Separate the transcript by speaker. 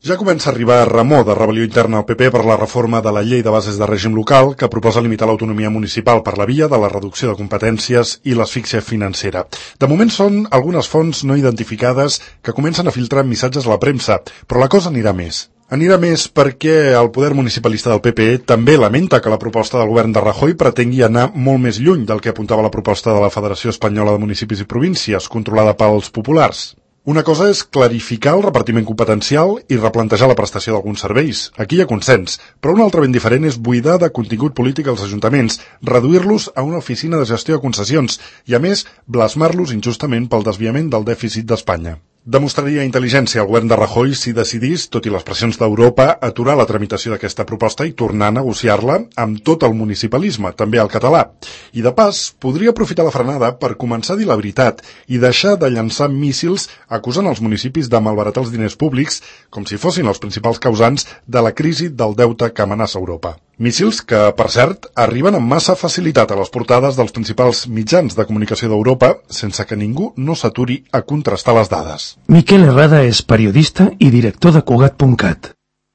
Speaker 1: Ja comença a arribar remor de rebel·lió interna al PP per la reforma de la llei de bases de règim local que proposa limitar l'autonomia municipal per la via de la reducció de competències i l'asfíxia financera. De moment són algunes fonts no identificades que comencen a filtrar missatges a la premsa, però la cosa anirà més. Anirà més perquè el poder municipalista del PP també lamenta que la proposta del govern de Rajoy pretengui anar molt més lluny del que apuntava la proposta de la Federació Espanyola de Municipis i Províncies, controlada pels populars. Una cosa és clarificar el repartiment competencial i replantejar la prestació d'alguns serveis. Aquí hi ha consens, però una altra ben diferent és buidar de contingut polític els ajuntaments, reduir-los a una oficina de gestió de concessions i, a més, blasmar-los injustament pel desviament del dèficit d'Espanya. Demostraria intel·ligència al govern de Rajoy si decidís, tot i les pressions d'Europa, aturar la tramitació d'aquesta proposta i tornar a negociar-la amb tot el municipalisme, també el català. I de pas, podria aprofitar la frenada per començar a dir la veritat i deixar de llançar míssils acusant els municipis de malbaratar els diners públics com si fossin els principals causants de la crisi del deute que amenaça Europa. Míssils que, per cert, arriben amb massa facilitat a les portades dels principals mitjans de comunicació d'Europa sense que ningú no s'aturi a contrastar les dades.
Speaker 2: Miquel Herrada és periodista i director de Cugat.cat.